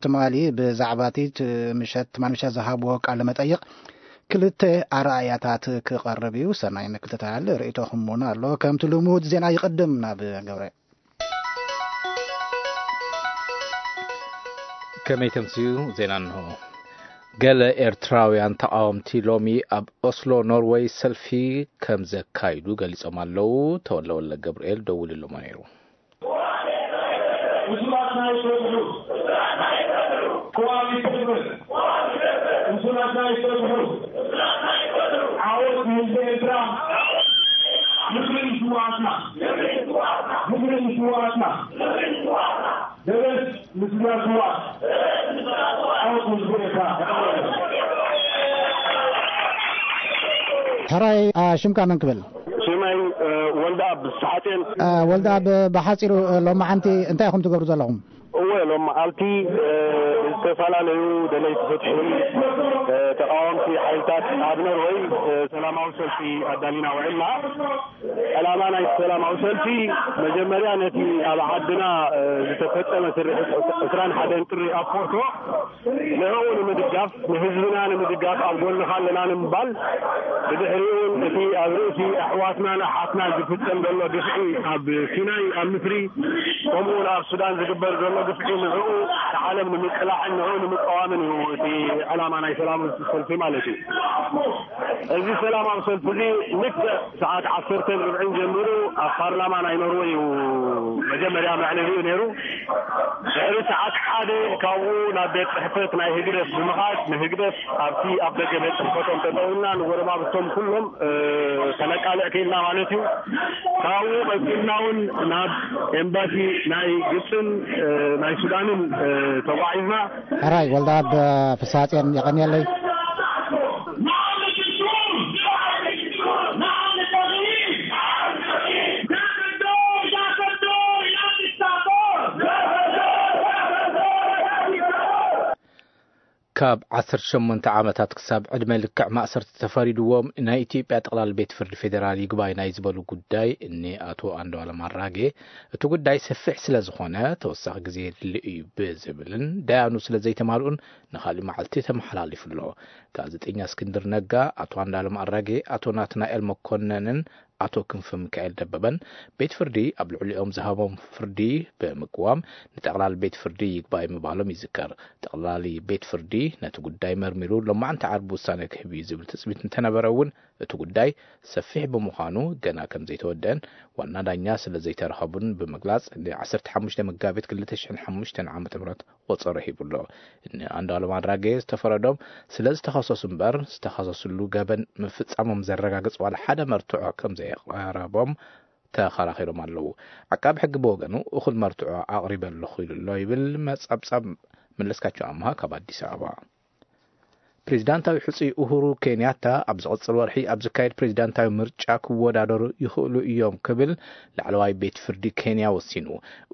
ትማሊ ብዛዕባ እቲ ት-፣ ምሸት ትማሊ ምሸት ዝሃብዎ ቃለ መጠይቕ ክልተ ኣረኣእያታት ክቐርብ እዩ። ሰናይ ምክትታል ርእይቶኹም እውን ኣሎ። ከምቲ ልሙድ ዜና ይቕድም ናብ ገብረ። ከመይ ተምስዩ ዜና እንሆ። ገለ ኤርትራውያን ተቓወምቲ ሎሚ ኣብ ኦስሎ ኖርወይ ሰልፊ ከም ዘካይዱ ገሊጾም ኣለዉ። ተወልደ ወልደ ገብርኤል ደዊሉሎም ነይሩ። ምስላትና ይፈትሑ። ኮዋሊ ፔፕር። ምስላትና ይፈትሑ። ዓወት ንህዝቢ ኤርትራ። ምድሪ ንስዋኣትና። ምድሪ ንስዋኣትና። ደበስ ንስድራ ስዋኣት። ዓወት ንህዝቢ ኤርትራ። ሕራይ፣ ኣ፣ ሽምካ መን ክብል? ሽመይ፣ እ፣ ወልደኣብ ሰሓቴን። እ፣ ወልደኣብ፣ ብሓጺሩ፣ እ፣ ሎማዓንቲ እንታይ ኢኹም ትገብሩ ዘለኹም? እወ፣ ሎም መዓልቲ፣ እ፣ ዝተፈላለዩ ደለይቲ ፍትሒ፣ እ፣ ተቃወምቲ ሓይልታት ኣብ ኖርወይ፣ እ፣ ሰላማዊ ሰልፊ ኣዳሊና ውዒልና። ዕላማ ናይ ሰላማዊ ሰልፊ መጀመርያ ነቲ ኣብ ዓድና፣ እ፣ ዝተፈጸመ ስርሒት ዕስራን ሓደን ጥሪ ኣብ ፖርቶ ንዕኡ ንምድጋፍ፣ ንህዝብና ንምድጋፍ ኣብ ጎንኻ ኣለና ንምባል፣ ብድሕሪኡ እውን እቲ ኣብ ርእሲ ኣሕዋትናን ኣሓትናን ዝፍጸም ዘሎ ግፍዒ ኣብ ሲናይ፣ ኣብ ምስሪ፣ ከምኡ እውን ኣብ ሱዳን ዝግበር ዘሎ ግፍዒ ንዕኡ ንዓለም ንምቅላዕን ንዕኡ ንምቅዋምን እዩ እቲ ዕላማ ናይ ሰላም ሰልፊ ማለት እዩ። እዚ ሰላማዊ ሰልፊ እዚ ልክዕ ሰዓት ዓሰርተን ርብዕን ጀሚሩ ኣብ ፓርላማ ናይ ኖርወይ እዩ መጀመርያ መዕለቢኡ ነይሩ። ድሕሪ ሰዓት ሓደ ካብኡ ናብ ቤት ጽሕፈት ናይ ህግደፍ ብምኻድ ንህግደፍ ኣብቲ ኣብ ደገ ቤት ጽሕፈቶም ጠጠውና ንጎረባብቶም ኩሎም፣ እ፣ ከነቃልዕ ክኢልና ማለት እዩ። ካብኡ ቀጺልና እውን ናብ ኤምባሲ ናይ ግብፅን፣ እ፣ ናይ ሱዳንን፣ እ፣ ተጓዒዝና። ሕራይ ወልደኣብ ፍስሃፅዮን የቐንየለይ። ካብ ዓሰርተ ሸሞንተ ዓመታት ክሳብ ዕድመ ልክዕ ማእሰርቲ ተፈሪድዎም ናይ ኢትዮጵያ ጠቕላሊ ቤት ፍርዲ ፌዴራል ይግባይ ናይ ዝበሉ ጉዳይ እኒ ኣቶ ኣንዱዓለም ኣራጌ፣ እቲ ጉዳይ ሰፊሕ ስለ ዝኾነ ተወሳኺ ግዜ የድሊ እዩ ብዝብልን ዳያኑ ስለ ዘይተማልኡን ንኻልእ መዓልቲ ተመሓላሊፉ ኣሎ። ጋዜጠኛ እስክንድር ነጋ፣ ኣቶ ኣንዱዓለም ኣራጌ፣ ኣቶ ናትናኤል መኮነንን ኣቶ ክንፈ ሚካኤል ደበበን ቤት ፍርዲ ኣብ ልዕሊኦም ዝሃቦም ፍርዲ ብምቅዋም ንጠቕላሊ ቤት ፍርዲ ይግባይ ምባሎም ይዝከር። ጠቕላሊ ቤት ፍርዲ ነቲ ጉዳይ መርሚሩ ሎማዕንቲ ዓርቢ ውሳነ ክህብ እዩ ዝብል ትጽቢት እንተነበረ እውን እቲ ጉዳይ ሰፊሕ ብምዃኑ ገና ከም ዘይተወደአን ዋና ዳኛ ስለ ዘይተረኸቡን ብምግላጽ ን ዓሰርተ ሓሙሽተ መጋቢት ክልተ ሽሕን ሓሙሽተን ዓመተ ምህረት ቆጸሮ ሂቡ ኣሎ። እኒ ኣንዱዓለም ኣራጌ ዝተፈረዶም ስለ ዝተኸሰሱ እምበር ዝተኸሰስሉ ገበን ምፍጻሞም ዘረጋግጽ ዋላ ሓደ መርትዖ ከም ዘየቕረቦም ተኸራኺሮም ኣለዉ። ዓቃቢ ሕጊ ብወገኑ እኹል መርትዖ ኣቕሪበ ኣለኹ ኢሉ ኣሎ ይብል መጸብጸብ። መለስካቸው ኣምሃ ካብ ኣዲስ ኣበባ። ፕሬዚዳንታዊ ሕጹይ ኡሁሩ ኬንያታ ኣብ ዝቕጽል ወርሒ ኣብ ዝካየድ ፕሬዚዳንታዊ ምርጫ ክወዳደሩ ይኽእሉ እዮም ክብል ላዕለዋይ ቤት ፍርዲ ኬንያ ወሲኑ።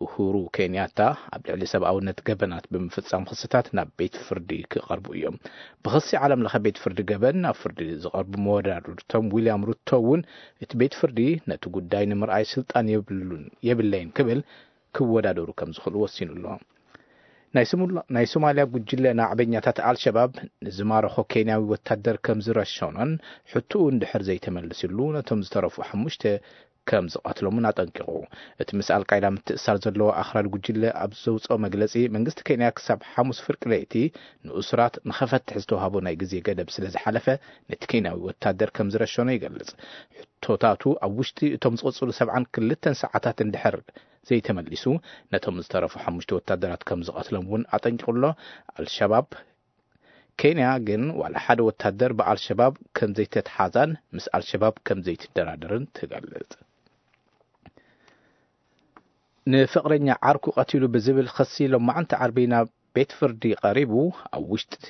ኡሁሩ ኬንያታ ኣብ ልዕሊ ሰብኣውነት ገበናት ብምፍጻም ክስታት ናብ ቤት ፍርዲ ክቐርቡ እዮም። ብኽሲ ዓለም ለኸ ቤት ፍርዲ ገበን ናብ ፍርዲ ዝቐርቡ መወዳድርቶም ዊልያም ሩቶ እውን እቲ ቤት ፍርዲ ነቲ ጉዳይ ንምርኣይ ስልጣን የብሉን፣ የብለይን ክብል ክወዳደሩ ከም ዝኽእሉ ወሲኑ ኣሎ። ናይ ስሙላ-፣ ናይ ሶማልያ ጉጅለ ናዕበኛታት ኣልሸባብ ንዝማረኾ ኬንያዊ ወታደር ከም ዝረሸኖን ሕቶኡ እንድሕር ዘይተመልስሉ ነቶም ዝተረፉ ሓሙሽተ ከም ዝቐትሎምን ኣጠንቂቑ። እቲ ምስ ኣልቃይዳ ምትእሳር ዘለዎ ኣኽራሪ ጉጅለ ኣብ ዘውፅኦ መግለፂ፣ መንግስቲ ኬንያ ክሳብ ሓሙስ ፍርቂ ለይቲ ንእሱራት ንኸፈትሕ ዝተዋህቦ ናይ ግዜ ገደብ ስለ ዝሓለፈ፣ ነቲ ኬንያዊ ወታደር ከም ዝረሸኖ ይገልጽ። ሕቶታቱ ኣብ ውሽጢ እቶም ዝቕጽሉ ሰብዓን ክልተን ሰዓታት እንድሕር ዘይተመሊሱ፣ ነቶም ዝተረፉ ሓሙሽተ ወታደራት ከም ዝቐትሎም እውን ኣጠንቂቑ ኣሎ። ኣልሸባብ ኬንያ ግን ዋላ ሓደ ወታደር ብኣልሸባብ ከም ዘይተትሓዛን ምስ ኣልሸባብ ከም ዘይትደራደርን ትገልጽ። ንፍቕረኛ ዓርኩ ቀቲሉ ብዝብል ኽሲ ሎማዕንቲ ዓርቢ ናብ ቤት ፍርዲ ቀሪቡ፣ ኣብ ውሽጢ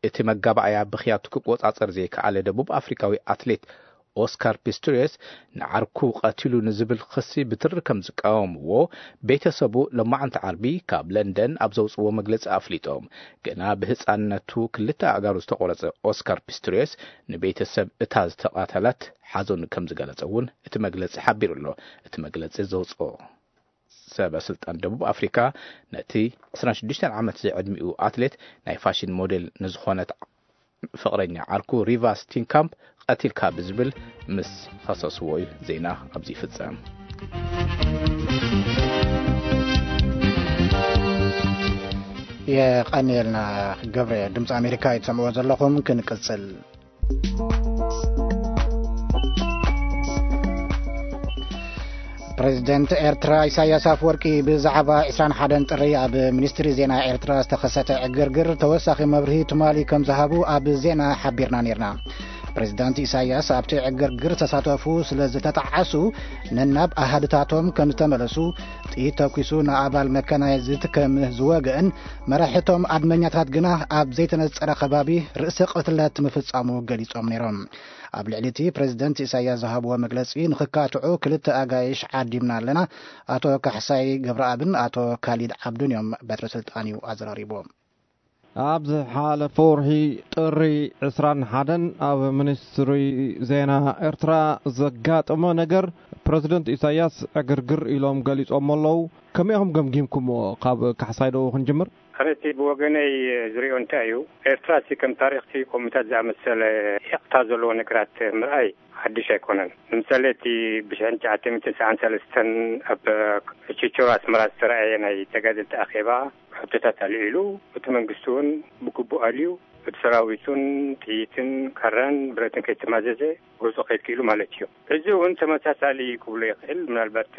እቲ መጋባእያ ብኽያቱ ክቆጻጸር ዘይከኣለ ደቡብ ኣፍሪካዊ ኣትሌት ኦስካር ፒስቶሪየስ ንዓርኩ ቀቲሉ ንዝብል ኽሲ ብትሪ ከም ዝቃወምዎ ቤተሰቡ ሎማዕንቲ ዓርቢ ካብ ለንደን ኣብ ዘውፅዎ መግለፂ ኣፍሊጦም። ገና ብህፃንነቱ ክልተ ኣእጋሩ ዝተቆረፀ ኦስካር ፒስቶሪየስ ንቤተሰብ እታ ዝተቐተለት ሓዘኑ ከም ዝገለጸ እውን እቲ መግለጺ ሓቢሩ ኣሎ። እቲ መግለጺ ዘውፅኦ ሰበ ስልጣን ደቡብ ኣፍሪካ ነቲ ዕስራን ሽዱሽተን ዓመት ዝዕድሚኡ ኣትሌት ናይ ፋሽን ሞዴል ንዝኾነት ፍቕረኛ ዓርኩ ሪቫ ስቲንካምፕ ቀቲልካ ብዝብል ምስ ኸሰስዎ እዩ ዜና ኣብዚ ይፍጸም። የቐንየልና ገብረ። ድምፂ ኣሜሪካ እዩ ትሰምዕዎ ዘለኹም። ክንቅፅል። ፕሬዚደንት ኤርትራ ኢሳያስ ኣፈወርቂ ብዛዕባ ዕስራን ሓደን ጥሪ ኣብ ሚኒስትሪ ዜና ኤርትራ ዝተኸሰተ ዕግርግር ተወሳኺ መብርሂ ትማሊ ከም ዝሃቡ ኣብ ዜና ሓቢርና ነይርና። ፕሬዚዳንት ኢሳያስ ኣብቲ ዕግርግር ዝተሳተፉ ስለ ዝተጣዓሱ ነናብ ኣሃድታቶም ከም ዝተመለሱ፣ ጥይት ተኩሱ ንኣባል መካናይዝድ ከም ዝወግእን መራሕቶም ኣድመኛታት ግና ኣብ ዘይተነጸረ ከባቢ ርእሰ ቅትለት ምፍጻሙ ገሊጾም ነይሮም። ኣብ ልዕሊ እቲ ፕሬዚደንት ኢሳያስ ዝሃብዎ መግለጺ ንኽካትዑ ክልተ ኣጋይሽ ዓዲምና ኣለና። ኣቶ ካሕሳይ ገብረኣብን ኣቶ ካሊድ ዓብዱን እዮም በትረ ስልጣን እዩ ኣዘራሪቦም። ኣብ ዝሓለፈ ወርሒ ጥሪ ዕስራን ሓደን ኣብ ሚኒስትሪ ዜና ኤርትራ ዘጋጠመ ነገር ፕረዚደንት ኢሳያስ ዕግርግር ኢሎም ገሊጾሞ ኣለዉ። ከመይ ኢኹም ገምጊምኩምዎ? ካብ ካሕሳይ ዶ ክንጅምር? ኣነ እቲ ብወገነይ ዝሪኦ እንታይ እዩ፣ ኤርትራ እቲ ከም ታሪኽቲ ከምኡታት ዝኣመሰለ ሂቕታ ዘለዎ ነገራት ምርኣይ ሓድሽ ኣይኮነን። ንምሳሌ እቲ ብሽሕን ትሽዓተ ሚእትን ሰዓን ሰለስተን ኣብ ችቸሮ ኣስመራ ዝተረኣየ ናይ ተጋደልቲ ኣኼባ ሕቶታት ኣልዒሉ፣ እቲ መንግስቲ እውን ብግቡእ ኣልዩ፣ እቲ ሰራዊት እውን ጥይትን ካራን ብረትን ከይተማዘዘ ገጹ ከይድ ክኢሉ ማለት እዩ። እዚ እውን ተመሳሳሊ ክብሎ ይኽእል። ምናልባት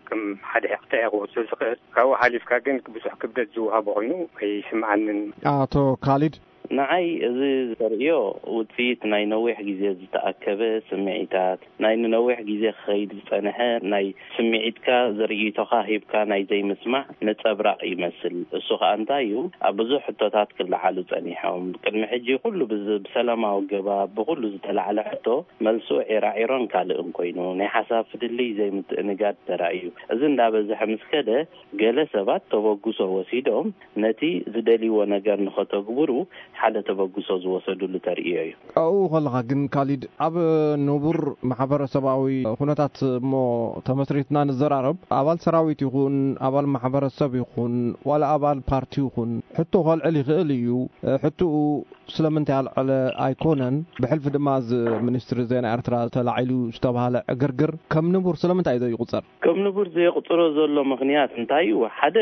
ከም ሓደ ሂቕታ እየ ክወስዶ ዝኽእል። ካብኡ ሓሊፍካ ግን ብዙሕ ክብደት ዝወሃቦ ኮይኑ ኣይስምዓንን። ኣቶ ካሊድ? ንዓይ እዚ ዘርእዮ ውጽኢት ናይ ነዊሕ ግዜ ዝተኣከበ ስምዒታት፣ ናይ ንነዊሕ ግዜ ክኸይድ ዝጸንሐ ናይ ስምዒትካ ዘርእይቶኻ ሂብካ ናይ ዘይምስማዕ ነጸብራቕ ይመስል። እሱ ኸኣ እንታይ እዩ? ኣብ ብዙሕ ሕቶታት ክለዓሉ ጸኒሖም። ቅድሚ ሕጂ ኩሉ ብዝ-፣ ብሰላማዊ ኣገባብ ብኩሉ ዝተላዕለ ሕቶ መልሱ ዒራዒሮን ካልእን ኮይኑ፣ ናይ ሓሳብ ፍልልይ ዘይምትእንጋድ ተራእዩ። እዚ እንዳበዝሐ ምስ ከደ፣ ገለ ሰባት ተበግሶ ወሲዶም ነቲ ዝደልይዎ ነገር ንኸተግብሩ ሓደ ተበግሶ ዝወሰዱሉ ተርእዮ እዩ። ኣብኡ ከለኻ ግን ካሊድ፣ ኣብ ንቡር ማሕበረሰባዊ ኩነታት እሞ ተመስሪትና ንዘራረብ፣ ኣባል ሰራዊት ይኹን፣ ኣባል ማሕበረሰብ ይኹን፣ ዋላ ኣባል ፓርቲ ይኹን፣ ሕቶ ከልዕል ይኽእል እዩ። ሕቶኡ ስለምንታይ ኣልዐለ ኣይኮነን። ብሕልፊ ድማ እዚ ሚኒስትሪ ዜና ኤርትራ ተላዒሉ ዝተባህለ ዕግርግር ከም ንቡር ስለምንታይ እዩ ዘይቁጸር? ከም ንቡር ዘየቑጽሮ ዘሎ ምኽንያት እንታይ እዩ? ሓደ፣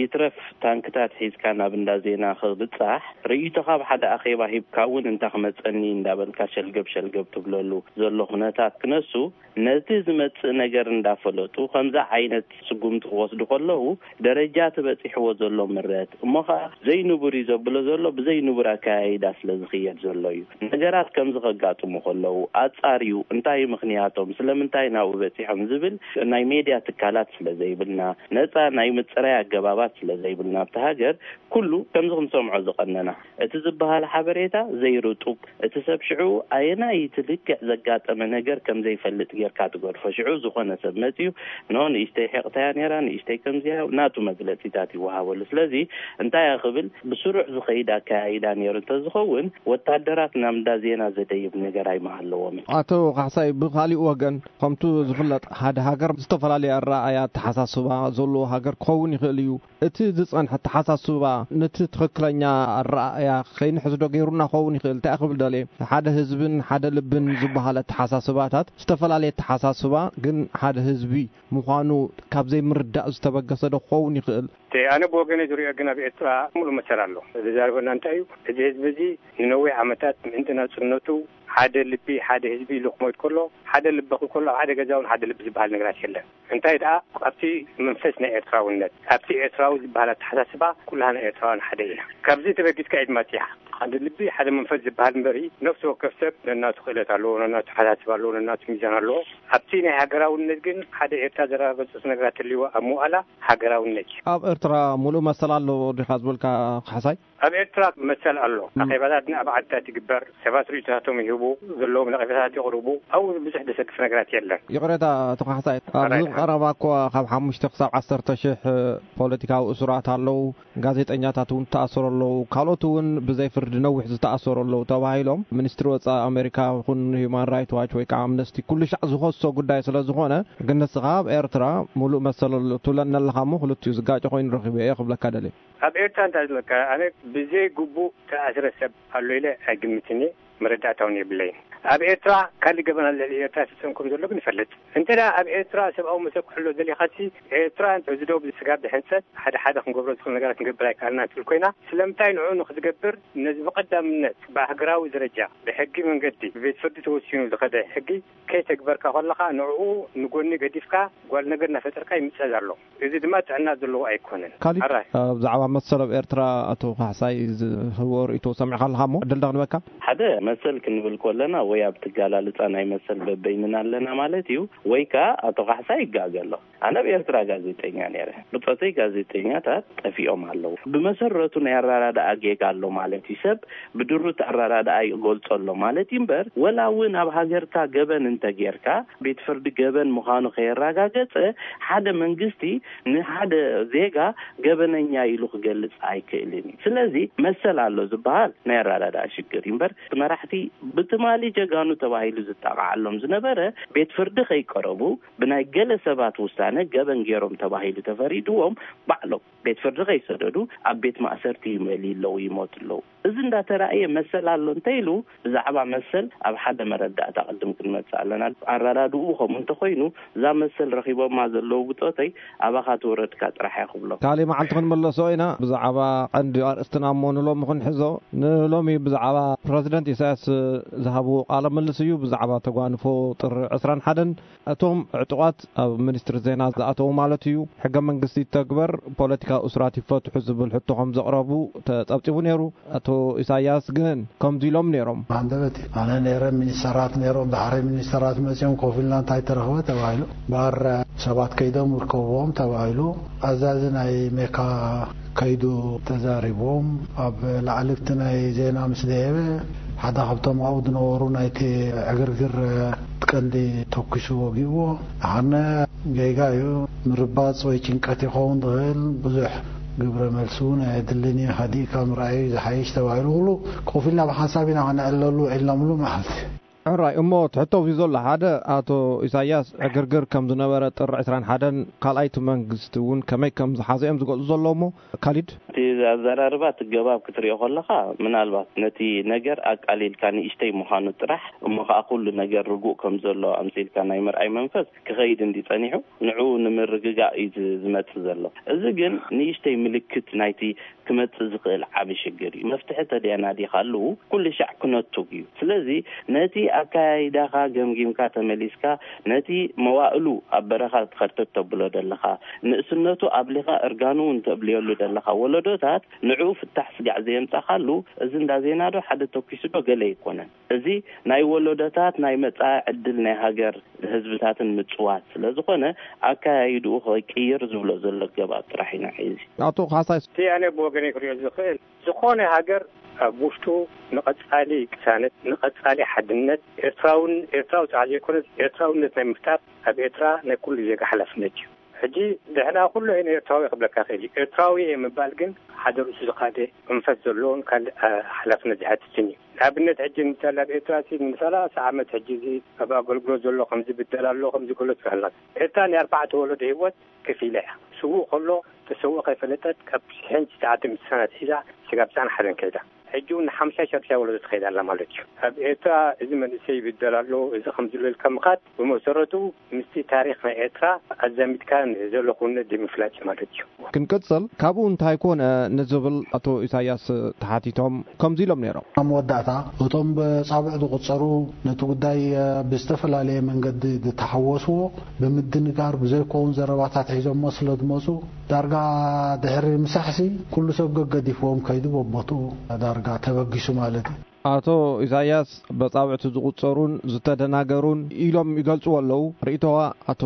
ይትረፍ ታንክታት ሒዝካ ናብ እንዳ ዜና ክብጻሕ፣ ርእይቶኻ ኣብ ሓደ ኣኼባ ሂብካ እውን እንታይ ክመጸኒ እንዳበልካ ሸልገብ ሸልገብ ትብለሉ ዘሎ ኩነታት ክነሱ፣ ነቲ ዝመጽእ ነገር እንዳፈለጡ ከምዚ ዓይነት ስጉምቲ ክወስዱ ከለዉ፣ ደረጃ እቲ በጺሕዎ ዘሎ ምረት፣ እሞ ኸኣ ዘይንቡር እዩ ዘብሎ ዘሎ ብዘይንቡር ኣከያይዳ ስለ ዝኽየድ ዘሎ እዩ። ነገራት ከምዚ ከጋጥሙ ከለዉ፣ ኣጻርዩ እንታይ እዩ ምኽንያቶም፣ ስለምንታይ ናብኡ በጺሖም ዝብል ናይ ሜድያ ትካላት ስለ ዘይብልና፣ ነጻ ናይ ምጽራይ ኣገባባት ስለ ዘይብልና፣ ኣብቲ ሃገር ኩሉ ከምዚ ክንሰምዖ ዝቐነና። እቲ ዝበሃል ሓበሬታ ዘይርጡብ፣ እቲ ሰብ ሽዑ ኣየናይ እቲ ልክዕ ዘጋጠመ ነገር ከም ዘይፈልጥ ጌርካ ትገድፎ። ሽዑ ዝኾነ ሰብ መጺኡ፣ "ኖ፣ ንእሽተይ ሒቕታያ ነይራ፣ ንእሽተይ ከምዚያ"፣ ናቱ መግለጺታት ይወሃበሉ። ስለዚ እንታይ እያ ክብል፣ ብስሩዕ ዝኸይድ ኣከያይዳ ነይሩ እንተዝኸውን፣ ወታደራት ናብ እንዳ ዜና ዘደይብ ነገር ኣይምሃለዎምን። ኣቶ ካሕሳይ፣ ብኻሊእ ወገን፣ ከምቱ ዝፍለጥ፣ ሓደ ሃገር ዝተፈላለየ ኣረኣእያ፣ ኣተሓሳስባ ዘለዎ ሃገር ክኸውን ይኽእል እዩ። እቲ ዝጸንሐ ኣተሓሳስባ ነቲ ትኽክለኛ ኣረኣእያ ከይንሕዝዶ ገይሩና ክኸውን ይኽእል። እንታይ ክብል ደልየ፣ ሓደ ህዝብን ሓደ ልብን ዝበሃል ኣተሓሳስባታት፣ ዝተፈላለየ ኣተሓሳስባ ግን ሓደ ህዝቢ ምዃኑ ካብ ዘይምርዳእ ዝተበገሰ ዶ ክኸውን ይኽእል? እቲ ኣነ ብወገነይ ዝሪኦ ግን ኣብ ኤርትራ ሙሉእ መሰል ኣሎ። ዝዛረበና እንታይ እዩ? እዚ ህዝቢ እዚ ንነዊሕ ዓመታት ምእንቲ ናጽነቱ ሓደ ልቢ፣ ሓደ ህዝቢ ኢሉ ክሞት ከሎ፣ ሓደ ልቢ ክብል ከሎ፣ ኣብ ሓደ ገዛ እውን ሓደ ልቢ ዝበሃል ነገራት የለን። እንታይ ደኣ፣ ኣብቲ መንፈስ ናይ ኤርትራውነት፣ ኣብቲ ኤርትራዊ ዝበሃል ኣተሓሳስባ፣ ኩላህና ኤርትራውያን ሓደ ኢና። ካብዚ ተበጊስካ ኢድ ማጽያ። ሓደ ልቢ፣ ሓደ መንፈስ ዝበሃል እምበሪ፣ ነፍሲ ወከፍ ሰብ ነናቱ ክእለት ኣለዎ፣ ነናቱ ኣተሓሳስባ ኣለዎ፣ ነናቱ ሚዛን ኣለዎ። ኣብቲ ናይ ሃገራውነት ግን፣ ሓደ ኤርትራ ዘረጋገጹ ነገራት ተልይዎ ኣብ ምውኣላ፣ ሃገራውነት እዩ። ኣብ ኤርትራ ሙሉእ መሰል ኣሎ ዲኻ ዝበልካ ካሕሳይ? ኣብ ኤርትራ መሰል ኣሎ። ም። ኣኼባታት ኣብ ዓድታት ይግበር፣ ሰባት ርእይቶታቶም ይህቡ፣ ዘለዎም ነቐፌታታት የቕርቡ። ኣብኡ ብዙሕ ዘሰክፍ ነገራት የለን። ይቕሬታ ኣቶ ካሕሳይ፣ ኣብዚ ሕራይ። ቀረባ እኮ ካብ ሓሙሽተ ክሳብ ዓሰርተ ሽሕ ፖለቲካዊ እሱራት ኣለዉ፣ ጋዜጠኛታት እውን ተኣሰሩ ኣለዉ፣ ካልኦት እውን ብዘይ ፍርዲ ንነዊሕ ዝተኣሰሩ ኣለዉ ተባሂሎም፣ ሚኒስትሪ ወጻኢ ኣሜሪካ ይኹን ሂዩማን ራይት ዋች ወይ ከዓ ኣምነስቲ ኩሉ ሻዕ ዝኸሶ ጉዳይ ስለ ዝኾነ፣ ግን ንስኻ ኣብ ኤርትራ ሙሉእ መሰል ኣሎ ትብለኒ ኣለኻ እሞ፣ ክልቲኡ ዝጋጭ ኮይኑ ረኺበ እየ ክብለካ ደልየ። ኣብ ኤርትራ እንታይ ዝለካ፣ ኣነ ብዘይ ግቡእ ተኣስረ ሰብ ኣሎ ኢለ ኣይግምትን እየ፣ መረዳእታ እውን የብለይን። ኣብ ኤርትራ ካልእ ገበን ኣሎ ልዕሊ ኤርትራ ይፍጸም ከም ዘሎ ግን ይፈልጥ። እንተ ደኣ ኣብ ኤርትራ ሰብኣዊ መሰል ክሕሎ ደሊኻሲ፣ ኤርትራ እዚ ዶብ ስጋብ ድሕንጸት ሓደ ሓደ ክንገብሮ ዝኽእል ነገራት ክንገብር ኣይከኣልናን ትብል ኮይና፣ ስለምንታይ ንዕኡ ንኽትገብር ነዚ ብቐዳምነት ብሃገራዊ ደረጃ ብሕጊ መንገዲ ብቤት ፍርዲ ተወሲኑ ዝኸደ ሕጊ ከይተግበርካ ከለኻ፣ ንዕኡ ንጎኒ ገዲፍካ ጓል ነገር እናፈጠርካ ይምጸዝ ኣሎ። እዚ ድማ ጥዕና ዘለዎ ኣይኮነን። ካሊድ፣ ኣራይ። ኣብ ዛዕባ መሰል ኣብ ኤርትራ ኣቶ ካሕሳይ ዝህቦ ርእይቶ ሰሚዕካ ኣለኻ እሞ ዕድል ዳግንበካ። ሓደ መሰል ክንብል ከለና ወይ ኣብ ትጋላልጻ ናይ መሰል በበይንና ኣለና ማለት እዩ፣ ወይ ከኣ ኣቶ ካሕሳይ ይጋገ ኣሎ። ኣነ ኣብ ኤርትራ ጋዜጠኛ ነይረ። ብጾተይ ጋዜጠኛታት ጠፊኦም ኣለዉ። ብመሰረቱ ናይ ኣራዳድኣ ጌጋ ኣሎ ማለት እዩ። ሰብ ብድሩት ኣራዳድኣ ይገልጾ ኣሎ ማለት እዩ እምበር፣ ወላ እውን ኣብ ሃገርካ ገበን እንተጌርካ፣ ቤት ፍርዲ ገበን ምዃኑ ከየረጋገጸ፣ ሓደ መንግስቲ ንሓደ ዜጋ ገበነኛ ኢሉ ክገልጽ ኣይክእልን እዩ። ስለዚ መሰል ኣሎ ዝበሃል ናይ ኣራዳድኣ ሽግር እዩ እምበር፣ መራሕቲ ብትማሊ ጀጋኑ ተባሂሉ ዝጣቕዓሎም ዝነበረ፣ ቤት ፍርዲ ከይቀረቡ፣ ብናይ ገለ ሰባት ውሳነ ገበን ገይሮም ተባሂሉ ተፈሪድዎም፣ ባዕሎም ቤት ፍርዲ ከይሰደዱ ኣብ ቤት ማእሰርቲ ይመልዩ ኣለዉ፣ ይሞቱ ኣለዉ። እዚ እንዳተራእየ መሰል ኣሎ እንተ ኢሉ፣ ብዛዕባ መሰል ኣብ ሓደ መረዳእታ ቅድም ክንመጽእ ኣለና። ኣራዳድኡ ከምኡ እንተኾይኑ፣ እዛ መሰል ረኺቦማ ዘለዉ ብጾተይ ኣባኻ ትወረድካ ጥራሕ እየ ክብሎ። ካልእ መዓልቲ ክንምለሶ ኢና። ብዛዕባ ቀንዲ ኣርእስትና እሞ ንሎሚ ክንሕዞ፣ ንሎሚ ብዛዕባ ፕረዚደንት ኢሳያስ ዝሃብዎ ቃለ ምልልስ እዩ። ብዛዕባ ተጓንፎ ጥሪ ዕስራን ሓደን፣ እቶም ዕጡቓት ኣብ ሚኒስትሪ ዜና ዝኣተዉ ማለት እዩ፣ ሕገ መንግስቲ ይተግበር፣ ፖለቲካዊ እሱራት ይፈትሑ ዝብል ሕቶ ከም ዘቕረቡ ተጸብጺቡ ነይሩ። ኣቶ ኢሳያስ ግን ከምዚ ኢሎም ነይሮም። ሃንደበት እዩ። ኣነ ነይረ፣ ሚኒስተራት ነይሮም፣ ዳሕሪ ሚኒስተራት መጺኦም ኮፍ ኢልና እንታይ ተረኽበ ተባሂሉ። ባር ሰባት ከይዶም ይርከብዎም ተባሂሉ። ኣዛዚ ናይ ሜካ ከይዱ ተዛሪቦም። ኣብ ላዕሊ እቲ ናይ ዜና ምስ ደየበ፣ ሓደ ካብቶም ኣብኡ ዝነበሩ ናይቲ ዕግርግር ቀንዲ ተኩሱ ወጊእዎ። ኣነ ጌጋ እዩ፣ ምርባጽ ወይ ጭንቀት ይኸውን ዝኽእል፣ ብዙሕ ግብረ መልሲ እውን ኣየድልን እዩ፣ ሃዲእካ ምርኣዩ ዝሓይሽ ተባሂሉ፣ ኩሉ ኮፍ ኢልና ብሓንሳብ ኢና ክነዕልለሉ ውዒልናምሉ መዓልቲ። ሕራይ እሞ ትሕቶ እዩ ዘሎ። ሓደ፣ ኣቶ ኢሳያስ ዕግርግር ከም ዝነበረ ጥሪ ዕስራን ሓደን፣ ካልኣይቲ መንግስቲ እውን ከመይ ከም ዝሓዘ እዮም ዝገልጹ ዘለዉ እሞ፣ ካሊድ? እቲ ኣዘራርባ እቲ ገባብ ክትሪኦ ከለኻ፣ ምናልባት ነቲ ነገር ኣቃሊልካ ንእሽተይ ምዃኑ ጥራሕ፣ እሞ ኸዓ ኩሉ ነገር ርጉእ ከም ዘሎ ኣምሲልካ ናይ ምርኣይ መንፈስ ክኸይድ እንዲ ጸኒሑ፣ ንዕኡ ንምርግጋእ እዩ ዝ-፣ ዝመጽእ ዘሎ። እዚ ግን ንእሽተይ ምልክት ናይቲ ክመጽእ ዝኽእል ዓቢ ሽግር እዩ። መፍትሒ ተደናዲኻሉ ኩሉ ሻዕ ክነቱግ እዩ። ስለዚ ነቲ ኣካያይዳኻ ገምጊምካ ተመሊስካ፣ ነቲ መዋእሉ ኣብ በረኻ ከርተት ተብሎ ደለኻ፣ ንእስነቱ ኣብሊኻ እርጋኑ እውን ተብልየሉ ደለኻ ወለዶታት፣ ንዕኡ ፍታሕ ስጋዕ ዘየምጻኻሉ፣ እዚ እንዳ ዜና ዶ ሓደ ተኩሱ ዶ ገለ ኣይኮነን። እዚ ናይ ወለዶታት ናይ መጻኢ ዕድል ናይ ሃገር ህዝብታትን ምጽዋት ስለ ዝኾነ፣ ኣካያይድኡ ክቅይር ዝብሎ ዘሎ ገባብ ጥራሕ ኢና ሒዚ። ኣቶ ካሕሳይ። እቲ ኣነ ብወገነይ ክሪኦ ዝኽእል፣ ዝኾነ ሃገር ኣብ ውሽጡ ንቐጻሊ ቅሳነት፣ ንቐጻሊ ሓድነት፣ ኤርትራውን፣ ኤርትራዊ ጥራሕ ዘይኮነስ ኤርትራውነት ናይ ምፍጣር ኣብ ኤርትራ ናይ ኩሉ ዜጋ ሓላፍነት እዩ። ሕጂ ንሕና ኩሉ እየ ኤርትራዊ ክብለካ ክእል እዩ። ኤርትራዊ እየ ምባል ግን ሓደ ርእሱ ዝኻደ መንፈስ ዘለዎን ካልእ፣ አ፣ ሓላፍነት ዝሓትትን እዩ። ንኣብነት ሕጂ ንምሳሌ ኣብ ኤርትራ ሲ ንሰላሳ ዓመት ሕጂ እዚ ኣብ ኣገልግሎት ዘሎ ከምዚ ብደል ኣሎ፣ ከምዚ ገሎ ትብሃል ኣላ። ኤርትራ ናይ ኣርባዕተ ወለዶ ህይወት ከፊላ እያ። ስዉእ ከሎ ተሰውኦ ከይፈለጠት ካብ ሽሕን ትሽዓተ ሚእቲ ሰነ ኣትሒዛ ስጋብ ትስዓን ሓደን ከይዳ። ሕጂ እውን ንሓምሻይ ሻድሻይ ወለዶ ትኸይድ ኣላ ማለት እዩ። ኣብ ኤርትራ እዚ መንእሰይ ይብደል ኣሎ፣ እዚ ከምዚ ኢሉ ኢልካ ምኻድ ብመሰረቱ ምስቲ ታሪኽ ናይ ኤርትራ ኣዛሚድካ ዘሎ ክውንነት ዘይምፍላጥ እዩ ማለት እዩ። ክንቅጽል፣ ካብኡ እንታይ ኮነ ንዝብል ኣቶ ኢሳያስ ተሓቲቶም ከምዚ ኢሎም ነይሮም። ኣብ መወዳእታ እቶም ብጻብዕ ዝቑጸሩ ነቲ ጉዳይ ብዝተፈላለየ መንገዲ ዝተሓወስዎ ብምድንጋር ብዘይከውን ዘረባታት ሒዞሞ ስለ ዝመጹ ዳርጋ ድሕሪ ምሳሕሲ ኩሉ ሰብ ገገዲፍዎም ከይዱ በቦትኡ ዳርጋ ተበጊሱ ማለት እዩ። ኣቶ ኢሳያስ በጻብዕቲ ዝቑጸሩን ዝተደናገሩን ኢሎም ይገልጽዎ ኣለዉ። ርእይቶኻ ኣቶ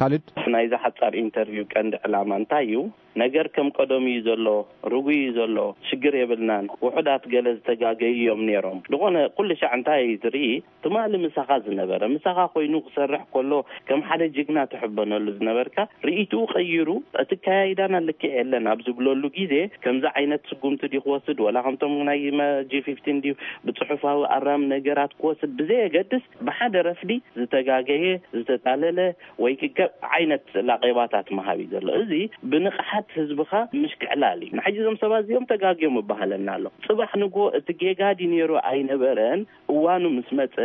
ካሊድ? ናይዚ ሓጻር ኢንተርቪው ቀንዲ ዕላማ እንታይ እዩ? ነገር ከም ቀደሙ እዩ ዘሎ፣ ርጉእ እዩ ዘሎ፣ ሽግር የብልናን፣ ውሑዳት ገለ ዝተጋገዩ እዮም ነይሮም። ዝኾነ ኩሉ ሻዕ እንታይ ትርኢ? ትማሊ ምሳኻ ዝነበረ፣ ምሳኻ ኮይኑ ክሰርሕ ከሎ ከም ሓደ ጅግና ትሕበነሉ ዝነበርካ፣ ርእይትኡ ቀይሩ፣ እቲ ኣካያይዳና ልክዕ የለን ኣብ ዝብለሉ ግዜ፣ ከምዚ ዓይነት ስጉምቲ ድዩ ክወስድ፣ ወላ ከምቶም ናይ መ-፣ ጂ ፊፍቲን ድዩ ብጽሑፋዊ ኣራም ነገራት ክወስድ ብዘየገድስ፣ ብሓደ ረፍዲ ዝተጋገየ፣ ዝተታለለ ወይ ክገብ ዓይነት ላቄባታት መሃብ እዩ ዘሎ። እዚ ብንቕሓት ህዝብኻ ምሽክዕላል እዩ። ንሕጂ እዞም ሰባት እዚኦም ተጋግዮም እበሃለና ኣሎ። ጽባሕ ንግሆ እቲ ጌጋ ድዩ ነይሩ ኣይነበረን፣ እዋኑ ምስ መጸ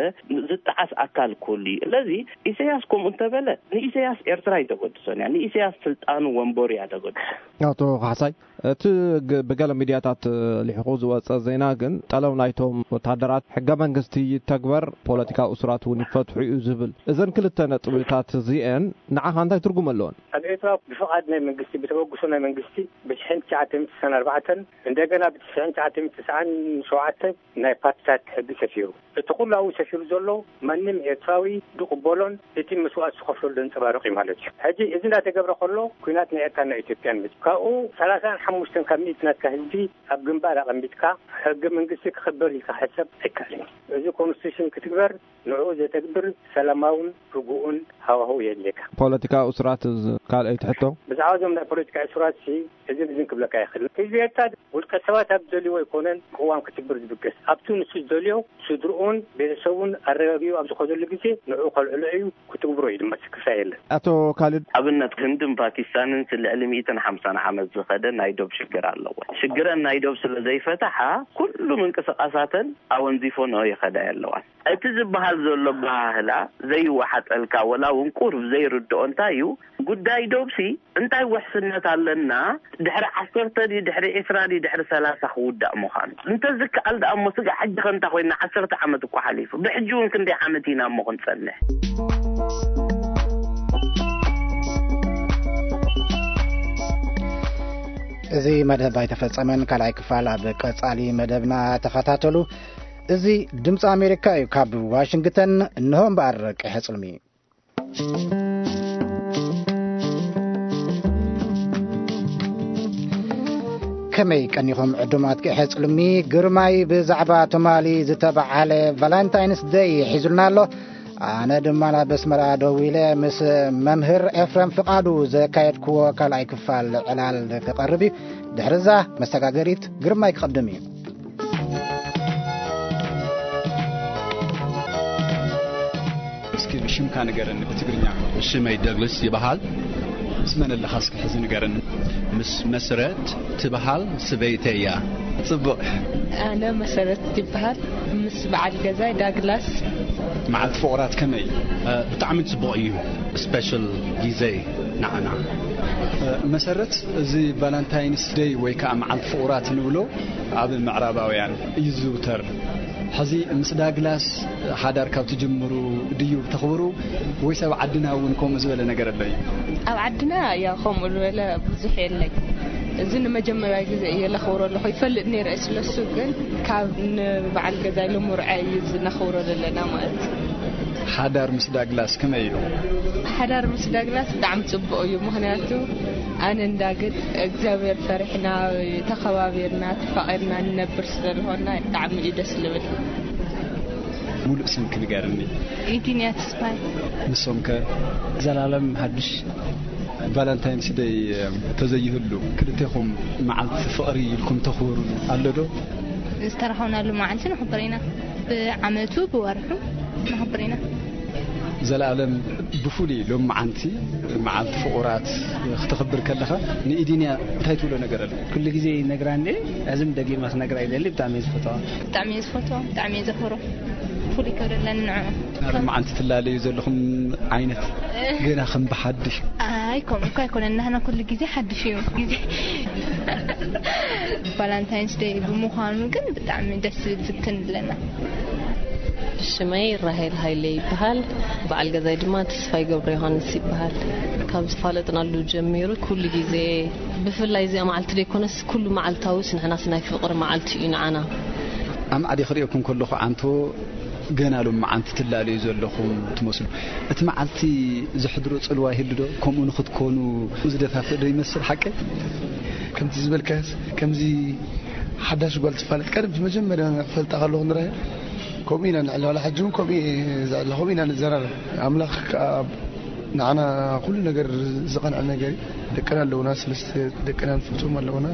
ዝጠዓስ ኣካል ኩሉ እዩ። ስለዚ ኢሳያስ ከምኡ እንተበለ፣ ንኢሳያስ ኤርትራ ኣይተገድሶን እያ፣ ንኢሳያስ ስልጣኑ ወንበሩ እያ ተገድሶ። ኣቶ ካሕሳይ፣ እቲ ግ-፣ ብገለ ሚድያታት ልሒቑ ዝወጸ ዜና ግን፣ ጠለብ ናይቶም ወታደራት ሕገ መንግስቲ ይተግበር፣ ፖለቲካዊ እሱራት እውን ይፈትሑ እዩ ዝብል። እዘን ክልተ ነጥብታት እዚአን ንዓኻ እንታይ ትርጉም ኣለወን? ኣብ ኤርትራ ብፍቓድ ናይ መንግስቲ፣ ብተበግሶ ናይ መንግስቲ፣ ብሽሕን ትሽዓተ ሚእቲ ስሳን ኣርባዕተን፣ እንደገና ብትሽዓን ትሽዓተ ሚእቲ ተስዓን ሸውዓተን ናይ ፓርቲታት ሕጊ ሰፊሩ። እቲ ኩሉ ኣብኡ ሰፊሩ ዘሎ ማንም ኤርትራዊ ዝቕበሎን እቲ መስዋእቲ ዝኸፍለሉ ዘንጸባርቕ እዩ ማለት እዩ። ሕጂ እዚ እንዳተገብረ ከሎ፣ ኲናት ናይ ኤርትራን ናይ ኢትዮጵያን መጺኡ። ካብኡ ሰላሳን ሓሙሽተን ካብ ሚእቲ ናትካ ህዝቢ ኣብ ግንባር ኣቐሚጥካ፣ ሕገ መንግስቲ ክኽበር ኢልካ ሕሰብ ኣይከኣልን እዩ። እዚ ኮንስቲቱሽን ክትግበር፣ ንዕኡ ዘተግብር ሰላማውን ርጉእን ሃዋህው የድልየካ። ፖለቲካዊ እሱራት፣ እዚ ካልኣይቲ ሕቶ። ብዛዕባ እዞም ናይ ፖለቲካ እሱራት ሲ፣ እዝን እዝን ክብለካ ይኽእል። ህዝቢ ኤርትራ ውልቀ ሰባት ኣብ ዝደልይዎ ኣይኮነን ቅዋም ክትግብር ዝብገስ። ኣብቲ ንሱ ዝደልዮ፣ ስድርኡን ቤተሰቡን ኣረጋጊኡ ኣብ ዝኸደሉ ግዜ፣ ንዕኡ ከልዕሎ እዩ፣ ክትግብሮ እዩ ድማ፣ ስክፍታ የለን። ኣቶ ካሊድ። ኣብነት፣ ህንድን ፓኪስታንን ሲ ልዕሊ ሚእትን ሓምሳን ዓመት ዝኸደ ናይ ዶብ ሽግር ኣለዎ። ሽግረን ናይ ዶብ ስለ ዘይፈትሓ፣ ኩሉ ምንቅስቓሳተን ኣወንዚፎንኦ ይኸዳ ኣለዋን። እቲ ዝበሃል ዘሎ ኣበሃህላ ዘይወሓጠልካ፣ ወላ እውን ቁሩብ ዘይርድኦ እንታይ እዩ? ጉዳይ ዶብሲ እንታይ ውሕስነት ኣለና? ድሕሪ ዓሰርተ ድዩ፣ ድሕሪ ዕስራ ድዩ፣ ድሕሪ ሰላሳ ክውዳእ ምዃኑ? እንተዝከኣል ደኣ እሞ፣ ስጋዕ ሕጂ ከ እንታይ ኮይንና? ዓሰርተ ዓመት እኮ ሓሊፉ። ብሕጂ እውን ክንደይ ዓመት ኢና እሞ ክንጸንሕ? እዚ መደብ ኣይተፈጸመን። ካልኣይ ክፋል ኣብ ቀጻሊ መደብና ተኸታተሉ። እዚ ድምፂ ኣሜሪካ እዩ። ካብ ዋሽንግተን እንሆ እምበኣር ቀይሐ ጽልሚ። ከመይ ቀኒኹም ዕዱማት ቀይሐ ጽልሚ? ግርማይ ብዛዕባ ትማሊ ዝተበዓለ ቫላንታይንስ ደይ ሒዙልና ኣሎ። ኣነ ድማ ናብ ኣስመራ ደው ኢለ ምስ መምህር ኤፍረም ፍቓዱ ዘካየድክዎ ካልኣይ ክፋል ዕላል ክቐርብ እዩ። ድሕርዛ መሰጋገሪት ግርማይ ክቐድም እዩ። እስኪ ሽምካ ንገረኒ ብትግርኛ። ሽመይ ደግልስ ይበሃል። ምስ መን ኣለኻ እስኪ ሕዚ ንገረኒ። ምስ መስረት ትበሃል ስበይተይ እያ። ጽቡቕ። ኣነ መሰረት ይበሃል። ምስ በዓል ገዛይ ዳግላስ። መዓልቲ ፍቑራት ከመይ? እ፣ ብጣዕሚ ጽቡቕ እዩ። ስፔሻል ግዜ ንዓና። እ፣ መሰረት፣ እዚ ቫላንታይንስ ደይ ወይ ከዓ መዓልቲ ፍቑራት ንብሎ ኣብ ምዕራባውያን እዩ ዝዝውተር። ሕዚ ምስ ዳግላስ ሓዳር ካብ ትጅምሩ ድዩ ተኽብሩ ወይስ ኣብ ዓድና እውን ከምኡ ዝበለ ነገር ኣሎ እዩ? ኣብ ዓድና ያው ከምኡ ዝበለ ብዙሕ የለን። እዚ ንመጀመርያ ግዜ እየ ለኽብሮ ኣለኹ። ይፈልጥ ነይረ እየ ስለሱ፣ ግን ካብ ንበዓል ገዛይ ልሙርዐ እዩ እዚ ነኽብሮ ዘለና ማለት እዩ። ሓዳር ምስ ዳግላስ ከመይ እዩ? ሓዳር ምስ ዳግላስ ብጣዕሚ ጽቡቕ እዩ። ምኽንያቱ ኣነ እንዳግድ እግዚኣብሔር ፈሪሕና፣ ተኸባቢርና፣ ተፋቒርና ንነብር ስለዝኾንና ብጣዕሚ እዩ ደስ ልብል። ሙሉእ ስምኪ ንገርኒ። ኢዲንያ ተስፋይ። ንሶም ከ? ዘላለም ሃዱሽ። ቫላንታይንስ ደይ ተዘይህሉ ክልቴኹም መዓልቲ ፍቕሪ ኢልኩም ተኽብሩ ኣሎ ዶ? ዝተራኸብናሉ መዓልቲ ነኽብር ኢና። ብዓመቱ ብወርሑ ነኽብር ኢና። ዘላለም፣ ብፍሉይ ሎም መዓንቲ መዓልቲ ፍቑራት ክተኽብር ከለኻ ንኢዲንያ እንታይ ትብሎ ነገር ኣሎ? ኩሉ ግዜ ይነግራ እንዴ፣ ሕዝም ደጊማ ክነግራ ይደሊ። ብጣዕሚ እየ ዝፈትዋ። ብጣዕሚ እየ ዝፈትዋ፣ ብጣዕሚ እየ ዘኽብሮ። ፍሉይ ክብሪ ኣለኒ ንዕኡ። ኣብ መዓንቲ ትላለዩ ዘለኹም ዓይነት ገና ከም ብሓድሽ። ኣይ፣ ከምኡ እኮ ኣይኮነን። ናህና ኩሉ ግዜ ሓድሽ እዩ። ግዜ ቫላንታይንስ ደይ ብምዃኑ ግን ብጣዕሚ ደስ ዝብል ዝክን ኣለና። ሽመይ ራሄል ሃይለ ይበሃል። በዓል ገዛይ ድማ ተስፋይ ገብረ ዮሃንስ ይበሃል። ካብ ዝፋለጥናሉ ጀሚሩ ኩሉ ግዜ፣ ብፍላይ እዚኣ መዓልቲ ደይኮነስ ኩሉ መዓልታውስ ንሕናስ ናይ ፍቕሪ መዓልቲ እዩ ንዓና። ኣማዕዲ ክርእየኩም ከለኹ ዓንቶ ገና ሎም መዓንቲ ትላለዩ ዘለኹም ትመስሉ። እቲ መዓልቲ ዘሕድሮ ጽልዋ ይህሉ ዶ? ከምኡ ንኽትኮኑ ዝደፋፍእ ዶ ይመስል ሓቂ? ከምቲ ዝበልካስ፣ ከምዚ ሓዳሽ ጓል ትፋለጥ ቀደም መጀመርያ ክፈልጣ ከለኹ ንራያ፣ ከምኡ ኢና ንዕለላ። ሕጂ እውን ከምኡ እየ ዝዕለ፣ ከምኡ ኢና ንዘራረብ። ኣምላኽ ከኣ ንዓና ኩሉ ነገር ዝቐንዐ ነገር እዩ። ደቅና ኣለውና፣ ሰለስተ ደቅና ንፈትዎም ኣለውና።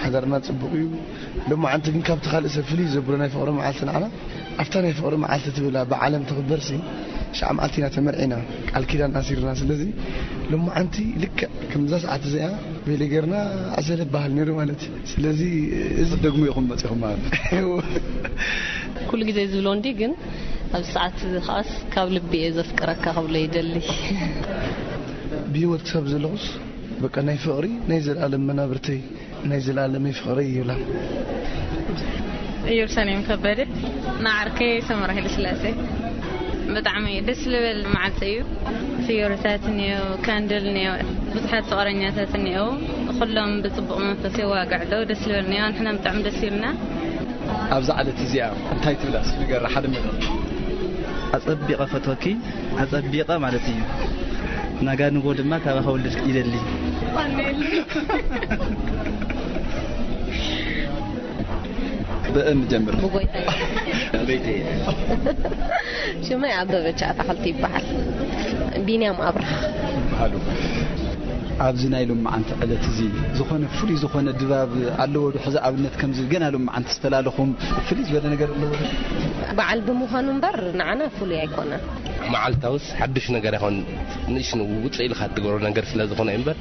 ሓዳርና ጽቡቕ እዩ። ሎማዓንቲ ግን ካብቲ ካልእ ሰብ ፍልይ ዘብሎ ናይ ፍቕሪ መዓልቲ ንዓና ኣብታ ናይ ፍቕሪ መዓልቲ ትብላ ብዓለም ትኽበርሲ ሽዓ መዓልቲ ኢና ተመርዒና፣ ቃል ኪዳን ኣሲርና። ስለዚ ሎማዓንቲ ልክዕ ከምዛ ሰዓት እዚኣ ቤለ ጌርና ዕሰለ በሃል ነይሩ ማለት እዩ። ስለዚ እዚ ደግሞ ኢኹም መጺኹም ማለት እዩ። ኩሉ ግዜ ዝብሎ እንዲ ግን ኣብዚ ሰዓት እዚ ከኣስ ካብ ልቢ እየ ዘፍቅረካ ክብሎ ይደሊ። ብህይወት ክሳብ ዘለኹስ በቃ ናይ ፍቕሪ ናይ ዘላለም መናብርተይ ናይ ዘላለመይ ፍቕሪ ይብላ። ኢየሩሳሌም ከበደ። ንዓርከይ ሰመራ ሃይለስላሴ። ብጣዕሚ ደስ ልብል መዓልቲ እዩ። ፍዮሪታት እኒኦ፣ ካንድል እኒኦ፣ ብዙሓት ፍቕረኛታት እኒኦ። ኩሎም ብጽቡቕ መንፈስ የዋግዕ ኣለዉ። ደስ ልብል እኒኦ። ንሕና ብጣዕሚ ደስ ይብልና። ኣብዛ ዕለት እዚኣ እንታይ ትብላ እስኪ ንገራ ሓደ መደብ። ኣጸቢቐ ፈትወኪ፣ ኣጸቢቐ ማለት እዩ። ናጋ ንጎ ድማ ካባኻ ውልድ ይደሊ። ብእን ጀምር። ብጎይታ። ቤተይ። ሽመይ ኣበበች ኣታኽልቲ ይበሃል። ቢንያም ኣብርሃ። ይበሃሉ። ኣብዚ ናይ ሎማዓንቲ ዕለት እዚ ዝኾነ ፍሉይ ዝኾነ ድባብ ኣለዎ ዶ? ሕዚ ኣብነት ከምዚ ገና ሎማዓንቲ ዝተላለኹም ፍልይ ዝበለ ነገር ኣለዎ ዶ? በዓል ብምዃኑ እምበር ንዓና ፍሉይ ኣይኮነን። መዓልታውስ ሓድሽ ነገር ይኾን፣ ንእሽ ውፅእ ኢልካ ትገብሮ ነገር ስለ ዝኾነ እምበር፣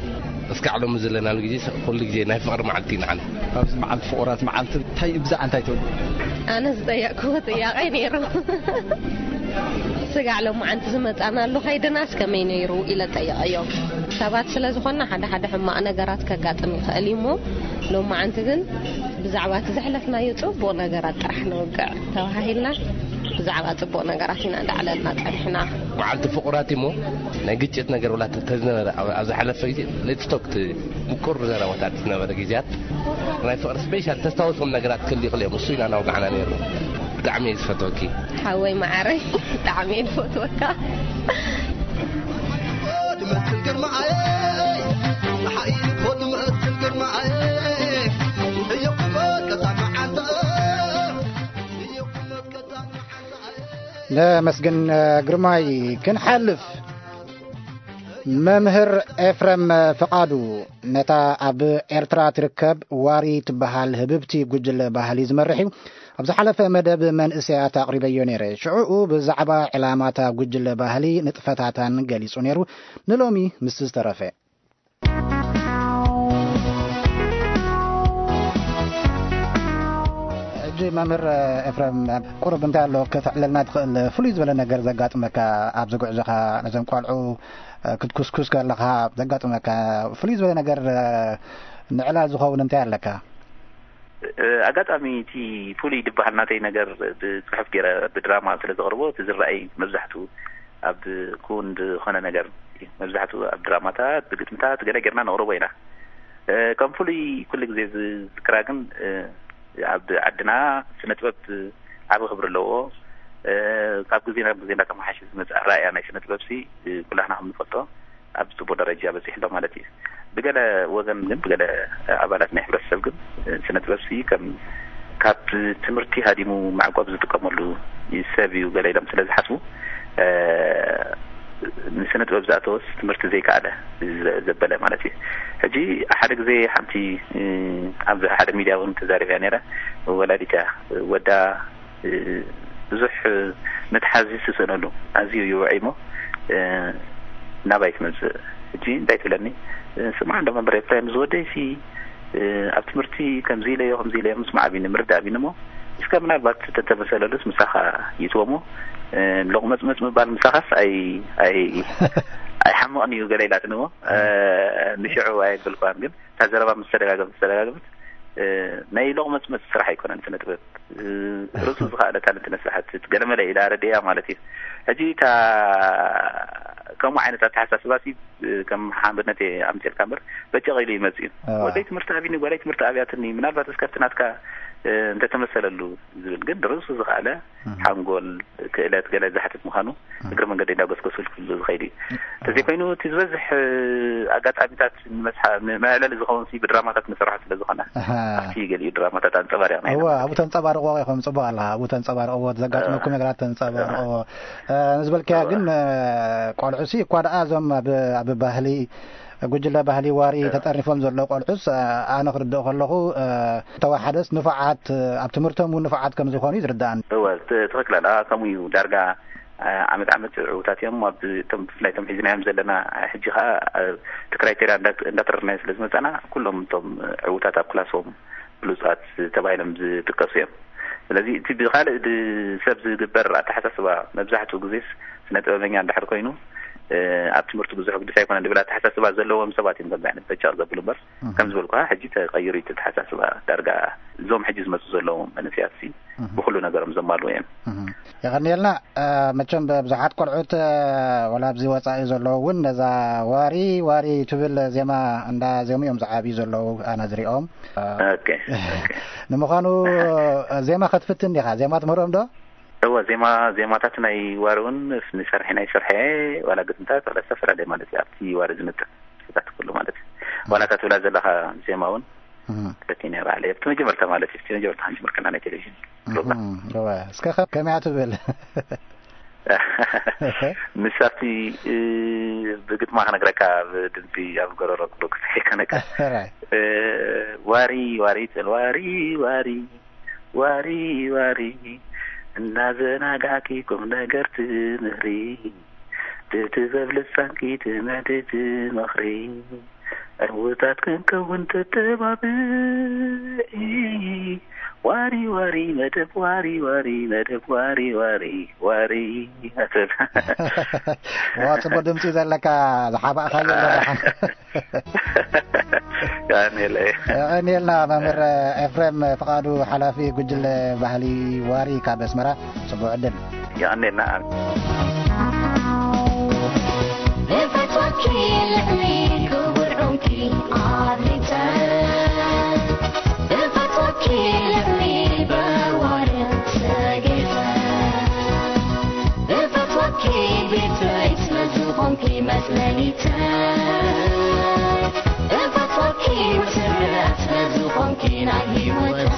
እስካዕ ሎሚ ዘለናሉ ግዜ ኩሉ ግዜ ናይ ፍቕሪ መዓልቲ እዩ ንዓና። ኣብዚ መዓልቲ ፍቑራት መዓልቲ እንታይ ብዛዕባ እንታይ ትብሉ? ኣነ ዝጠየቅኩዎ ጥያቄ ነይሩ። ስጋዕ ሎማዓንቲ ዝመጻናሉ ከይድናስ ከመይ ነይሩ ኢለ ጠየቀዮም። ሰባት ስለ ዝኾንና ሓደ ሓደ ሕማቕ ነገራት ከጋጥም ይኽእል እዩ እሞ፣ ሎማዓንቲ ግን ብዛዕባ እቲ ዘሕለፍናዮ ጽቡቕ ነገራት ጥራሕ ንውግዕ ተባሃሂልና፣ ብዛዕባ ጽቡቕ ነገራት ኢና እንዳዕለልና ጸኒሕና። መዓልቲ ፍቑራት እሞ፣ ናይ ግጭት ነገር ወላ ተዝነበረ ኣብ፣ ኣብ ዝሓለፈ ግዜ፣ ሌትስ ቶክ፣ ምቁር ዘረባታት ዝነበረ ግዜያት፣ ናይ ፍቕሪ ስፔሻል ተስታውሶም ነገራት ክህሉ ይኽእል እዮም። እሱ ኢና እናወጋዕና ነይሩ። ብጣዕሚ እየ ዝፈትወኪ። ሓወይ መዓረይ፣ ብጣዕሚ እየ ዝፈትወካ። ትመስል ግርማየ፣ ፀሓይ እኮ ትመስል ግርማየ፣ እየኩ መቀታ መዓንተ፣ እየኩ መቀታ መዓንተ። ነመስግን ግርማይ። ክንሓልፍ፣ መምህር ኤፍረም ፍቓዱ ነታ ኣብ ኤርትራ ትርከብ ዋሪ ትበሃል ህብብቲ ጉጅለ ባህሊ ዝመርሕ እዩ። ኣብ ዝሓለፈ መደብ መንእሰያት ኣቕሪበዮ ነይረ። ሽዑኡ ብዛዕባ ዕላማታ ጉጅለ ባህሊ ንጥፈታታን ገሊጹ ነይሩ። ንሎሚ ምስ ዝተረፈ። ሕጂ መምህር ኤፍረም፣ ቁሩብ እንታይ ኣሎ ከተዕለልና ትኽእል? ፍሉይ ዝበለ ነገር ዘጋጥመካ ኣብዚ ጉዕዞኻ፣ ነዞም ቆልዑ ክትኩስኩስ ከለኻ ዘጋጥመካ ፍሉይ ዝበለ ነገር፣ ንዕላል ዝኸውን እንታይ ኣለካ? እ፣ ኣጋጣሚ እቲ ፍሉይ ዝበሃል ናተይ ነገር ብጽሑፍ ገይረ ብድራማ ስለ ዘቕርቦ፣ እቲ ዝረኣይ መብዛሕትኡ ኣብ ክውን ዝኾነ ነገር እዩ። መብዛሕትኡ ኣብ ድራማታት፣ ብግጥምታት ገለ ጌርና ነቕርቦ ኢና። እ፣ ከም ፍሉይ ኩሉ ግዜ ዝዝክራ ግን፣ እ፣ ኣብ ዓድና ስነ ጥበብ ዓቢ ክብሪ ኣለዎ። እ፣ ካብ ግዜ ናብ ግዜ እንዳተመሓየሸ ዝመጽእ ኣረኣእያ ናይ ስነ ጥበብሲ፣ እ፣ ኩላህና ከም ንፈልጦ ኣብ ጽቡቕ ደረጃ በጺሑ ኣሎ ማለት እዩ። ብገለ ወገን ግን፣ ብገለ ኣባላት ናይ ሕብረተሰብ ግን፣ እ፣ ስነ ጥበብሲ ከም ካብ ትምህርቲ ሃዲሙ ማዕቆብ ዝጥቀመሉ ሰብ እዩ ገለ ኢሎም ስለ ዝሓስቡ፣ እ፣ ንስነ ጥበብ ዝኣተወስ ትምህርቲ ዘይከኣለ ዘ-፣ ዘበለ ማለት እዩ። ሕጂ ሓደ ግዜ ሓንቲ፣ እ፣ ኣብ ሓደ ሚድያ እውን ተዛሪበያ ነይረ። ወላዲት እያ፣ ወዳ፣ እ፣ ብዙሕ መትሓዚ ዝስእነሉ ኣዝዩ ይውዕይ እሞ፣ እ፣ ናባይ ትመጽእ። ሕጂ እንታይ ትብለኒ? እ፣ ስማዕ እንዶ መምህር ኤፍሬም፣ ዝወደይሲ፣ እ፣ ኣብ ትምህርቲ ከምዚ ኢለዮ፣ ከምዚ ኢለዮ ምስማዕ ኣቢኒ፣ ምርዳእ ኣቢኒ እሞ፣ እስከ ምናልባት ተተመሰለሉስ ምሳኻ ይእትዎ እሞ፣ እ፣ ሎቕመጽመጽ ምባል ምሳኻስ ኣይ-፣ ኣይ-፣ ኣይሓምቕን እዩ ገለ ኢላትኒ እሞ፣ እ፣ ንሽዑ ኣየብልኳን፣ ግን እታ ዘረባ ምስ ተደጋገመት፣ ምስ ተደጋገመት፣ እ፣ ናይ ሎቕመጽመጽ ስራሕ ኣይኮነን ስነ ጥበብ። እ፣ ርእሱ ዝኸኣለ ታለንት ነስራሕቲ ገለመለ ኢላ ረድእያ ማለት እዩ። ሕጂ እታ ከምኡ ዓይነት ኣተሓሳስባ ሲ፣ እ፣ ከም ሓምድነት እየ ኣምፅልካ እምበር በጨቕ ኢሉ ይመፅእ እዩ። ኣዋ። ወደይ ትምህርቲ ኣብኒ፣ ጓለይ ትምህርቲ ኣብያትኒ፣ ምናልባት እስከ ኣብቲ ናትካ እንተተመሰለሉ ዝብል ግን ድርሱ ዝኸኣለ ሓንጎል ክእለት ገለ ዝሓትት ምዃኑ እግሪ መንገዲ እንዳጎስጎስሉ ክህሉ ዝኸይድ እዩ። እንተዘይኮይኑ እቲ ዝበዝሕ ኣጋጣሚታት ንመፅሓ- ንመዕለሊ ዝኸውን ሲ ብድራማታት ንሰርሖ ስለ ዝኾነ ኣብቲ ገሊኡ ድራማታት ኣንፀባሪቕና ኢና እወ ማለት ኣብኡ እዩ። ተንፀባርቕዎ ኢኹም። ፅቡቅ ኣለኻ። ኣብኡ ተንፀባርቕዎ፣ ዘጋጥመኩም ነገራት ተንፀባርቕዎ። ንዝበልካያ ግን ቆልዑ ሲ እኳ ደኣ እዞም ኣብ ባህሊ ጉጅለ ባህሊ ዋሪ ተጠርኒፎም ዘለዉ ቆልዑስ ኣነ ክርድኦ ከለኹ ተወሓደስ ንፉዓት ኣብ ትምህርቶም እውን ንፉዓት ከም ዝኾኑ እዩ ዝርድኣኒ። እወ ትኽክል ኣላ። ከምኡ እዩ ዳርጋ ዓመት ዓመት ዕዉታት እዮም። ኣብ እቶም ብፍላይ እቶም ሒዝናዮም ዘለና ሕጂ ከዓ እቲ ክራይቴርያ እንዳተረርናዮ ስለ ዝመፃና ኩሎም እቶም ዕዉታት ኣብ ክላሶም ብሉፃት ተባሂሎም ዝጥቀሱ እዮም። ስለዚ እቲ ብካልእ ሰብ ዝግበር ኣተሓሳስባ መብዛሕትኡ ግዜስ ስነ ጥበበኛ እንድሕር ኮይኑ ኣብ ትምህርቲ ብዙሕ ግድስ ኣይኮነን ዝብል ኣተሓሳስባ ዘለዎም ሰባት እዮም ከምዚ ዓይነት በጫቕ ዘብሉ እምበር ከም ዝበልኩ ሕጂ ተቐይሩ እዩ ተተሓሳስባ ዳርጋ እዞም ሕጂ ዝመፁ ዘለዉ መንእሰያት ሲ ብኩሉ ነገሮም ዘማልኡ እዮም። የቐንየልና። መቸም ብዙሓት ቆልዑት ወላ ኣብዚ ወፃኢ ዘለዉ እውን ነዛ ዋሪ ዋሪ ትብል ዜማ እንዳ ዜሙ እዮም ዝዓብዩ ዘለዉ ኣነ ዝሪኦም። ንምዃኑ ዜማ ከትፍትን ዲኻ? ዜማ ትምህሮም ዶ? እወ ዜማ ዜማታት ናይ ዋሪ እውን ንሰርሐ ናይ ስርሐ ዋላ ግጥምታት ዋላ ዝተፈላለየ ማለት እዩ ኣብቲ ዋሪ ዝምጥን ስታት ኩሉ ማለት እዩ። ዋላ እታ ትብላ ዘለኻ ዜማ እውን ክፈትኒ እየ ባዕለይ ኣብቲ መጀመርታ ማለት እዩ እቲ መጀመርታ ሓንቲ ምርክና ናይ ቴሌቪዥን ፕሮግራም እወ እስከ ከ- ከመይ እያ ትብል? ንሳቲ ብግጥማ ክነግረካ ብድምፂ ኣብ ጎረሮ ክብሎ ክሳይ ከነካ Alright. ዋሪ ዋሪ ትብል ዋሪ ዋሪ ዋሪ ዋሪ እናዘናጋዕኪ ቁም ነገር ትምህሪ ብጥበብ ልሳንኪ ትመዲ ትመኽሪ ዕውታት ክንከውን ተተባብዒ ዋሪ ዋሪ መደብ ዋሪ ዋሪ መደብ ዋሪ ዋሪ ዋሪ ኣትብል ዋ ጽቡቅ ድምፂ ዘለካ ዝሓባእካዮ ኣለካ። የቐንየለይ። የቐንየልና መምህር ኤፍሬም ፍቓዱ ሓላፊ ጉጅለ ባህሊ ዋሪ ካብ ኣስመራ ጽቡቅ ዕድል። የቐንየልና። እፈትወኪ ልዕሊ ክቡር ዑንኪ ኣብሊፀ እፈትወኪ ልዕሊ በዋር ሰጊፈ እፈትወኪ ቤተይ ስለዝኾንኪ መጽለሊተይ እፈትወኪ መሰረት ስለዝኾንኪ ናይ ህይወተይ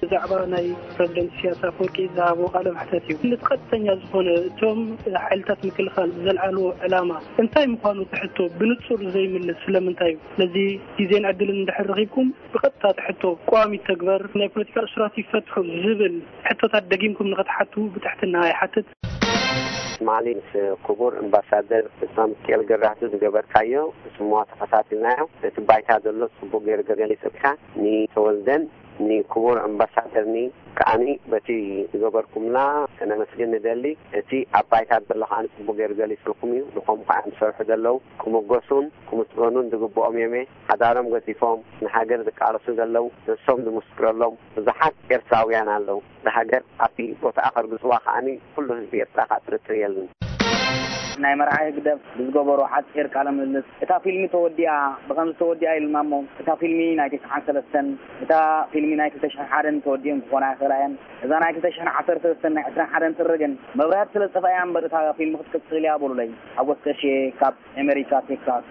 ብዛዕባ ናይ ፕረዚደንት ኢሳያስ ኣፈወርቂ ዝሃቦ ቃለ መሕተት እዩ። እቲ ቀጥተኛ ዝኾነ እቶም ሓይልታት ምክልኻል ዘልዓልዎ ዕላማ እንታይ ምዃኑ እቲ ሕቶ ብንጹር ዘይምልስ ስለምንታይ እዩ? ስለዚ ግዜን ዕድልን እንድሕር ረኺብኩም ብቐጥታ እቲ ሕቶ ቀዋሚ ይተግበር፣ ናይ ፖለቲካ እሱራት ይፈትሑ ዝብል ሕቶታት ደጊምኩም ንኽትሓቱ ብትሕትና ይሓትት። ትማሊ ምስ ክቡር ኣምባሳደር ሳምኬል ገብረኣብ ዝገበርካዮ ጽምዋ ተኸታቲልናዮ። እቲ ባይታ ዘሎ ጽቡቕ ገይሩ ገሊጽካ። ንተወልደን ንክቡር ኣምባሳደርኒ ከዓኒ በቲ ዝገበርኩምላ ከነመስግን ንደሊ። እቲ ኣብ ባይታ ዘሎ ከዓኒ ጽቡቕ ገይሩ ገሊጽልኩም እዩ። ንኸም ከዓ ዝሰርሑ ዘለዉ ክምጎሱን ክምስገኑን ዝግብኦም እዮም። ሓዳሮም ገዲፎም ንሃገር ዝቃለሱ ዘለዉ ነሶም ዝምስክረሎም ብዙሓት ኤርትራውያን ኣለዉ። ንሃገር ኣብቲ ቦታኣ ከርግጽዋ ከዓኒ ኩሉ ህዝቢ ኤርትራ ከዓ ጥርጥር የለን። ናይ መርዓዊ ህግደፍ ብዝገበሮ ሓጺር ቃለ ምልልስ፣ እታ ፊልሚ ተወዲኣ፣ ብኸምዚ ተወዲኣ ኢሉና እሞ፣ እታ ፊልሚ ናይ ተስዓን ሰለስተን፣ እታ ፊልሚ ናይ ክልተ ሽሕን ሓደን ተወዲአን ክኾና ይኽእላ እየን። እዛ ናይ ክልተ ሽሕን ዓሰርተ ሰለስተን ናይ ዕስራን ሓደን ጥሪ ግን መብርሂ ስለ ዝጠፍኣ እያ እምበር እታ ፊልሚ ክትቅጽል እያ በሉለይ። ሓጎስ ቀሼ ካብ ኣሜሪካ ቴክሳስ።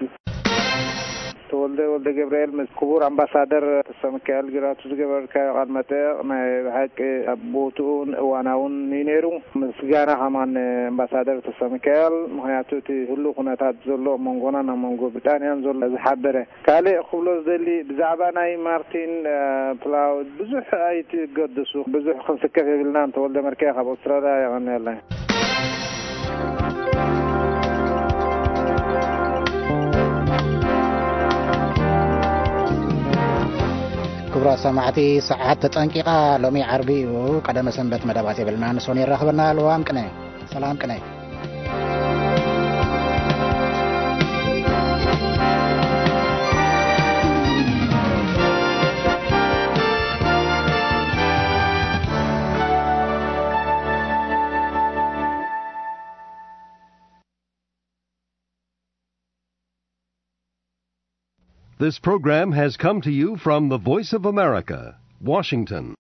ተወልደ ወልደ ገብርኤል ምስ ክቡር ኣምባሳደር ተስፋ ሚካኤል ጊራቱ ዝገበርካዮ ቃለ መጠየቕ ናይ ብሓቂ ኣብ ቦትኡን እዋናውን እዩ ነይሩ። ምስጋና ከማን ኣምባሳደር ተስፋ ሚካኤል፣ ምኽንያቱ እቲ ህሉው ኩነታት ዘሎ ኣብ መንጎናን ኣብ መንጎ ብሪጣንያን ዘሎ ዝሓበረ። ካልእ ክብሎ ዝደሊ ብዛዕባ ናይ ማርቲን ፕላውድ ብዙሕ ኣይትገደሱ፣ ብዙሕ ክንስከፍ የብልናን። ተወልደ መርክያ ካብ ኣውስትራልያ የቐንየለይ። ክቡራት ሰማዕቲ፣ ሰዓት ተጠንቂቓ። ሎሚ ዓርቢ እዩ፣ ቀደመ ሰንበት መደባት የብልና። ንሶን የራኽበና። ልዋም ቅነ፣ ሰላም ቅነ። This program has come to you from the Voice of America, Washington.